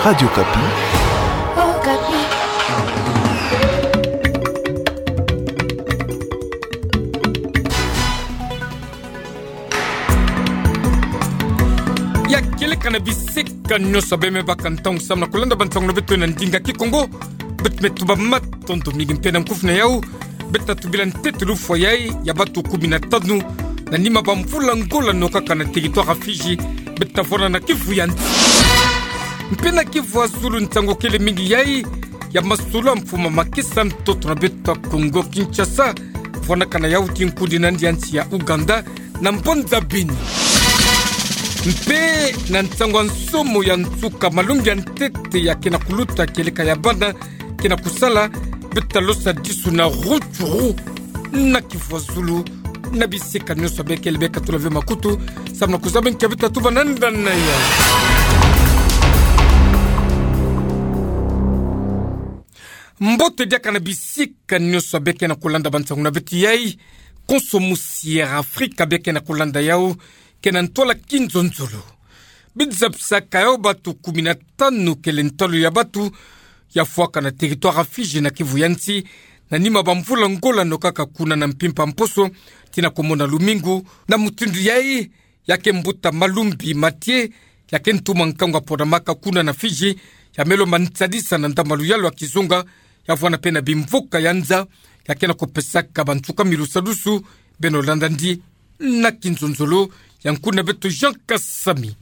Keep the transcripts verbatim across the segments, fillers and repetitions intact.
Radio Okapi. Okapi. Ya kieleka na bisika nyonso bê me baka ntangu samu na kulenda bantangu na beto na ndinga Kikongo. Beto me tuba matondo mingi mpe na nkufi na yau. Beto tubila ntete lufwa yai ya batu kumi na tanu na nima bamvula ngola no kaka na territoire ya Fidji. Beto vwanda na kivu ya nsi. Mpe na kivu ya zulu ntangu kele mingi yai ya masolo ya mfumu a makesa ntoto na beto Kongo Kinshasa. Vwanakana yau ti nkundi nandi ya nsi ya Ouganda na mbanza Beni. Mpe na ntangu ya nsomo ya nsuka malongi ya ntete ya ke na kuluta kieleka ya bana ke na kusala, beto losadisuna Rutshuru na kivu ya zulu na bisika nyonso bê kele bê katula ve makutu samu na kuzaba nki ya beto tuba na ndani na yau. Mbote diaka na bisika nyonso bê ke na kulenda bantangu na beto yai. Konso musi ya Afrika bê ke na kulenda yau ke na ntwala kinzonzolo. Biza bisaka yau batu kumi na tanu kele ntalo ya batu ya fwaka na territoire ya Fidji na kivu ya nsi na nima bamvula ngola no kaka kuna na mpimpa mposo tii na kumona lumingu. Na mutindu yai ya ke mbuta Malumbi Mathieu, ya ke ntuma nkangu ya Podamaka kuna na Fidji, ya me lomba nsadisa na ndambu ya luyalu ya kizunga, ya vwanda mpe na bimvuka ya nza, ya ke na kupesaka bansuka mi lusadusu, beno landa ndi na kinzonzolo ya nkundi na beto Jean Kasami.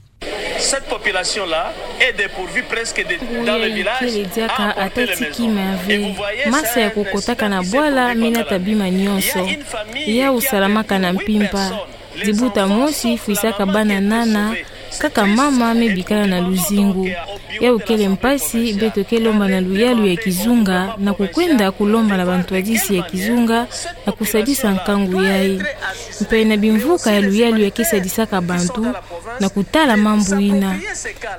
Cette population-là est dépourvue presque de, dans le village, à apporter les maisons. Et vous voyez, c'est un principe de bima nyonso. Il y a une famille qui a perdu huit personnes. Dibuta mosi fwisaka bana nana, kaka mama me bikala na luzingu. Yau kele mpasi, beto ke lomba na luyalu ya kizunga, na kukwenda kulomba na bantwadisi ya kizunga, na kusadisa nkangu yai. Mpe na bimvuka ya luyalu ya ke sadisaka bantu, na kutala mambu ina.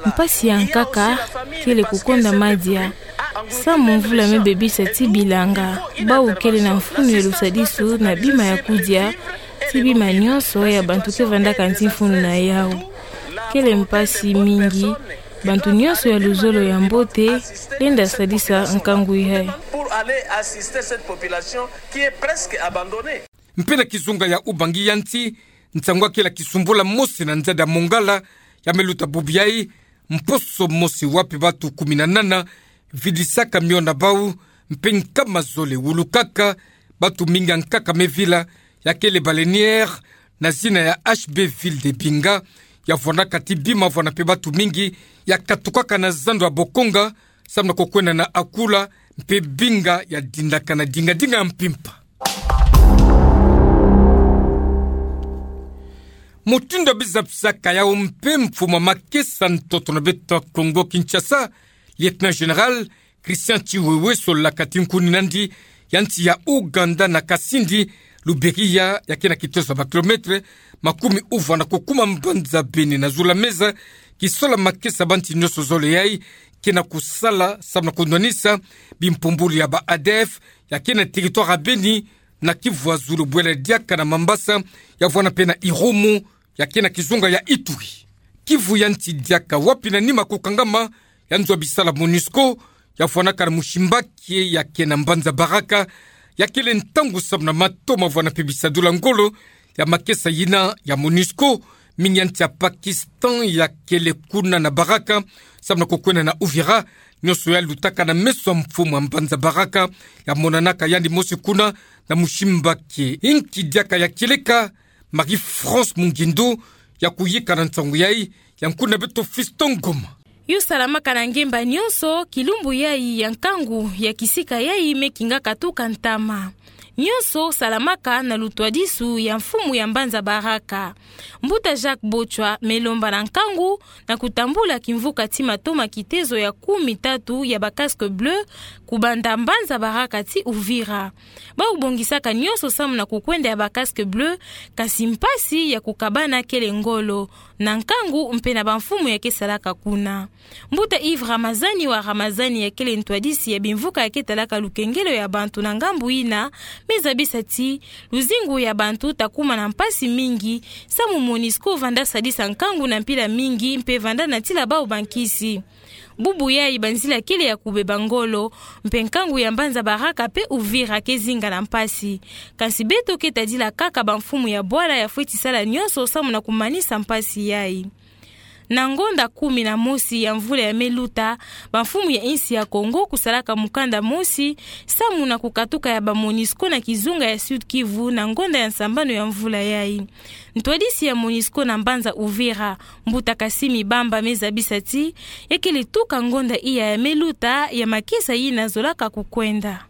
Mpasi ya nkaka, kele kukonda madia. Samu mvula me bebisa ti bilanga, bau kele na mfunu ya lusadisu na bima ya kudia, ti bima nyonso ya bantu ke vandaka nti mfunu na yau. Kele mpasi mingi, bantu nyonso ya luzolo ya mbote, lenda sadisa nkangu yai. Pour aller assister cette population qui est presque abandonnée. Mpe na kizunga ya Ubangi ya nsi, nsangu ya kele kisumbula mosi na nzadi ya Mongala, ya me luta bubu yai, mposo mosi wapi batu kumi na nana vidisaka mio na bau, mpe nkama zole wulukaka, batu mingi ya nkaka me vila, ya kele baleinière, na zina ya H B Ville de Binga, ya vwandaka ti bima vwanda mpe batu mingi, ya katukaka na zando ya Bokonga, samu na kukwenda na Akula, mpe Binga ya dindakana dinga dinga ya mpimpa. Mutindu ya biza bisaka yau mpe mfumu a makesa ntoto na beto Kongo Kinshasa, Lieutenant Général Christian Tshiwewe Solaka ti nkundi nandi ya nsi ya Ouganda na Kasindi, Luberiya, ya ke na kitoso ya ba kilomètre makumi uvwa na kukuma mbanza Beni na zulu ya meza, kisola makesa bansi nyonso zole yai ke na kusala samu na kunwanisa bimpumbulu ya ba A D F ya ke na territoire ya Beni, na kivu ya zulu bwela diaka na Mambasa, ya vwanda mpe na Irumu, ya ke na kizunga ya Ituri. Kivu ya nsi diaka wapi na nima kukangama ya nzo ya bisala MONUSCO, ya vwandaka na Mushimbakie ya ke na mbanza Baraka, ya kele ntangu samu na mato ma vwanda mpe bisadula ngolo ya makesa yina ya MONUSCO, mingi ya nsi ya Pakistan ya kele kuna na Baraka, samu na kukwenda na Uvira, nyonso ya lutaka na meso ya mfumu a mbanza Baraka, ya monanaka yandi mosi kuna na Mushimbakie. Inki diaka ya kieleka, Marie-France Mungindu ya kuyika na nsangu yai, ya nkundi na beto Fiston Ngoma. Yo salamaka na ngemba nyonso, kilumbu yai ya nkangu ya kisika yai me kinga katuka ntama. Nyonso salamaka na lutwadisu ya mfumu ya mbanza Baraka. Mbuta Jacques Botshwa me lomba na nkangu na kutambula kimvuka ti mato ma kitezo ya kumi tatu ya ba casques bleus, kubanda mbanza Baraka ti Uvira. Bau bongisaka nyonso samu na kukwenda ya ba casques bleus, kasi mpasi ya kukabana kele ngolo, na nkangu mpe na bamfumu ya ke salaka kuna. Mbuta Yves Ramazani wa Ramazani ya kele ntwadisi ya bimvuka ya ke talaka lukengelo ya bantu na ngambu yina, me zabisa ti luzingu ya bantu ta kuma na mpasi mingi, samu MONUSCO vanda sadisa nkangu na mpila mingi mpe vanda natila bau bankisi. Bubu yayi banzila kele ya kubeba ngolo, mpe nkangu ya mbanza Baraka mpe Uvira ke zinga na mpasi. Kansi beto ke tadila kaka bamfumu ya bwala ya fweti sala nyonso samu na kumanisa mpasi yayi. Na ngonda kumi na mosi ya mvula ya me luta, bamfumu ya insi ya Kongo kusalaka mukanda mosi samu na kukatuka ya ba MONUSCO na kizunga ya Sud-Kivu na ngonda ya nsambanu ya mvula yayi. Ntwadisi ya MONUSCO na mbanza Uvira, mbuta Kasimi Bamba, me zabisa ti ya kele tuka ngonda iya ya me luta ya makesa yina zolaka kukwenda.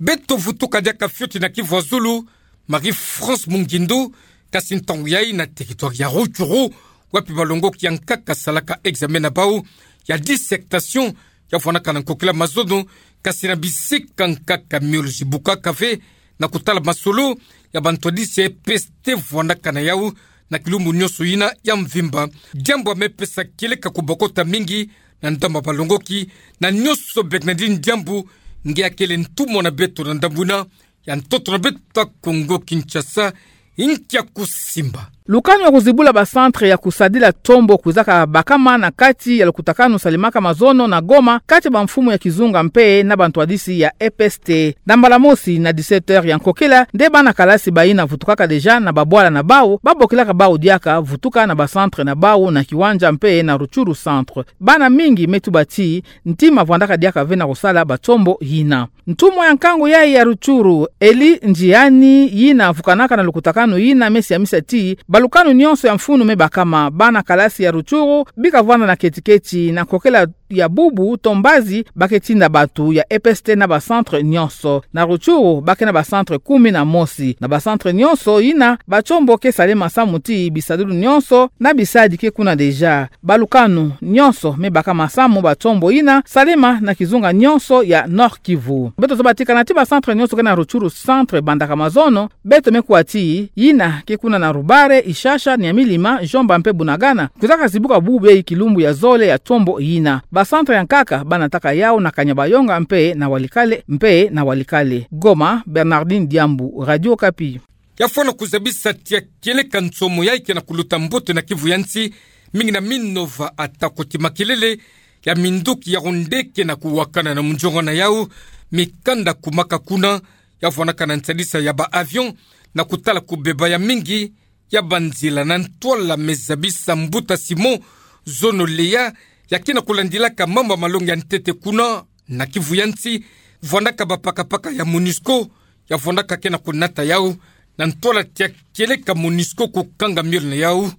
Beto vutuka diaka fioti na Kivu ya Zulu, Marie-France Mungindu, kasi ntangu yayi na territoire ya Rutshuru, wapi balongoki ya nkaka salaka examen na bau ya dissertation, ya vwandaka na nkokila mazono, kasi na bisika nkaka miolozi bukaka ve, na kutala masolo ya bantwadisi ya E P S T vwandaka na yau na kilumbu nyonso yina ya mvimba. Diambu ya me pesa kieleka kubokota mingi na ndambu ya balongoki, na nyonso Bernardine Diambu, nge akele ntumwa na beto na ndambu yina ya ntoto na beto ya Kongo Kinshasa, inkia kusimba. Lukanu ya kuzibula ba centre ya kusadila tombo kwizaka bakama na kati ya lukutakanu salemaka mazono na Goma, kati ya bamfumu ya kizunga mpe na bantwadisi ya E P S T. Na mbala mosi na dix-sept heures ya nkokila, nde bana kalasi bayina vutukaka déjà na babwala na bau, babokilaka bau diaka vutuka na ba centre na bau na Kiwanja mpe na Rutshuru centre. Bana mingi me tuba ti ntima vwandaka diaka ve na kusala batombo yina. Ntumwa ya nkangu yayi ya Rutshuru, Eli Njiani, yina vukanaka na lukutakanu yina, me siamisa ti balukanu nyonso ya mfunu me bakama, bana kalasi ya Rutshuru bika vwanda na keti-keti na nkokila ya bubu to mbazi ba ke tinda bantu ya E P S T na ba centre nyonso. Na Rutshuru ba ke na ba centre kumi na mosi. Na ba centre nyonso yina, batombo ke salema samu ti bisadulu nyonso na bisadi ke kuna déjà. Balukanu nyonso me bakama samu batombo yina salema na kizunga nyonso ya Nord-Kivu. Beto zaba ti kana ti ba centre nyonso ke na Rutshuru centre bandaka mazono, beto me kuwa ti yina ke kuna na Rubare, Ishasha, Nyamilima, Djomba mpe Bunagana kwizaka zibuka bubu yayi kilumbu ya zole ya tombo yina. Ba centre ya nkaka ba nataka yau na Kanyabayonga mpe na Walikale, mpe na Walikale. Goma, Bernardine Diambu, Radio Okapi. Ya fwana kuzabisa ti ya kieleka nsomo yayi ke na kuluta mbote na Kivu ya nsi, mingi na Minova, atako ti makelele ya minduki ya Rwanda ke na kuwakana na munziongo na yau, mikanda kumaka kuna, ya vwandaka na nsadisa ya ba avion, na kutala kubeba ya mingi ya banzila. Na ntwala me zabisa mbuta Simon Zono Leya, ya ke na kulandilaka mambu ya malongi ya ntete kuna na Kivu ya nsi, vwandaka bapakapaka ya MONUSCO, ya vwandaka ke na kunata yau, na ntwala ti ya kieleka MONUSCO kukanga miole na yau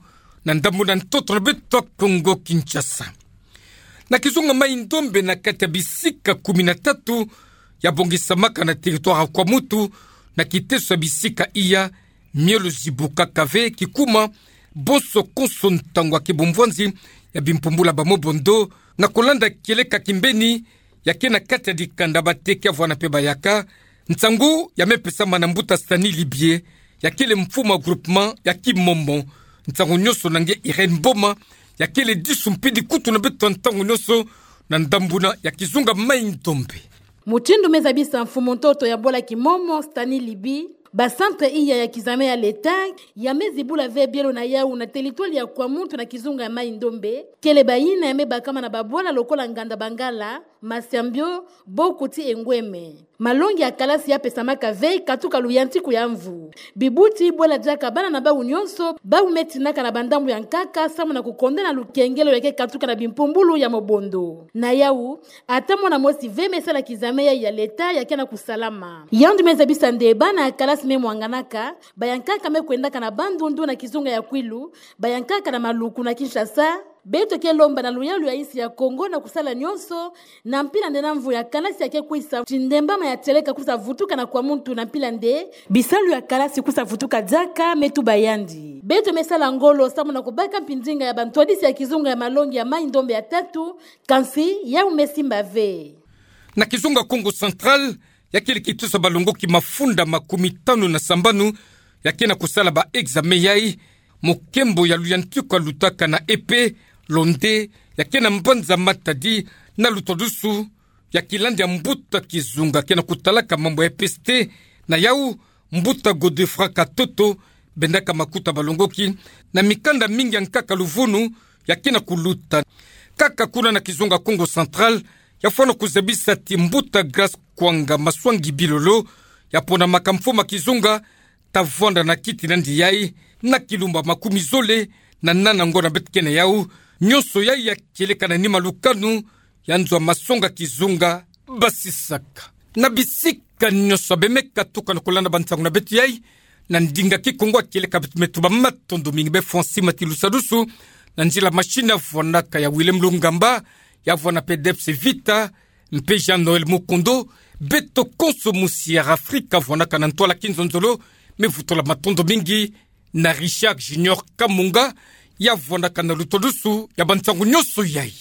na ndambu na ntoto na beto ya Kongo Kinshasa. Na kizunga Mai-Ndombe, na kati ya bisika kumi na tatu ya bongisamaka na territoire ya Kwamouth, na kiteso ya bisika iya, miolozi bukaka ve kikuma, bonso konso ntangu ya kibumbwanzi ya bimpumbulu ya ba mobondo, na kulanda kieleka kimbeni ya ke na kati ya dikanda, bateke ya vwanda mpe bayaka. Nsangu ya me pesama na mbuta Stanley Libye, ya kele mfumu ya groupement ya Kimomo. Nsangu nyonso na nge Irène Boma, ya kele disu mpidi kutu na beto ya ntangu nyonso na ndambu na ya kizunga Mai-Ndombe. Mutindu me zabisa mfumu ntoto ya bwala Kimomo, Stanley Libye, ba centre iya ya kizame ya l'État ya me zibula ve bielo na yau na territoire ya Kwamouth na kizunga ya Mai-Ndombe, kele bayina ya me bakama na babwala lokola Nganda Bangala, Masiambio, Bokuti, Ngweme. Malongi ya kalasi ya pesamaka ve katuka luyantiku ya mvu. Bibuti bwela diaka bana na bau nyonso, bau me tinaka na bandambu ya nkaka samu na kukonda na lukengelo ya ke katuka na bimpumbulu ya mobondo. Na yau, ata mwana mosi ve me sala kizame ya, ya l'État ya ke na kusalama. Yandi me zabisa nde bana ya kalasi me mwanganaka, ba ya nkaka me kwendaka na Bandundu na kizunga ya Kwilu, ba ya nkaka na Maluku na Kinshasa. Beto ke lomba na luyalu ya insi ya Kongo na kusala nyonso, na mpila nde na mvu ya kalasi ya ke kwisa, ti ndembama ya tieleka kwisa vutuka na Kwamouth na mpila nde bisalu ya kalasi kwisa vutuka diaka, me tuba yandi. Beto me sala ngolo samu na kubaka mpindinga ya bantwadisi ya kizunga ya malongi ya Mai-Ndombe ya tatu, kansi yau me simba ve. Na kizunga Kongo Central, ya kele kitusa balongoki mafunda makumi tanu na sambanu ya ke na kusala ba examen yayi, mokembo ya luyantiku ya lutaka na E P, londe ya ke na mbanza Matadi na Lutwadusu, ya kilandi ya mbuta kizunga ke na kutalaka mambu ya E P S T, na yau mbuta Godefroid Katoto, bendaka makuta balongoki na mikanda mingi ya nkaka luvunu ya ke na kuluta. Kaka kuna na kizunga Kongo Central, ya fwana kuzabisa ti mbuta Grace Kwanga Masuangi Bilolo, ya ponamaka mfumu a kizunga, ta vwanda na kiti nandi yai, na kilumba makumi zole na nana ngo na beto kena yau, nyonso yai ya kieleka na nima lukanu ya nzo a masonga kizunga basisaka. Na bisika nyonso bemeka tuka na kulanda bansangu na beto yai, na ndinga Kikongo, kieleka beto metuba matondo mingi be fuani mati lusadusu, na nzila machine ya vwanaka ya Willem Lungamba, ya vwana pe Debs Vita, mpe Jean Noël Mukondo, beto konso musi ya Afrika vwanaka na ntwala kinzonzolo, me vutula matondo mingi na Richard Junior Kamunga, ya vwanaka na lutodusu ya bansangu nyonso yai.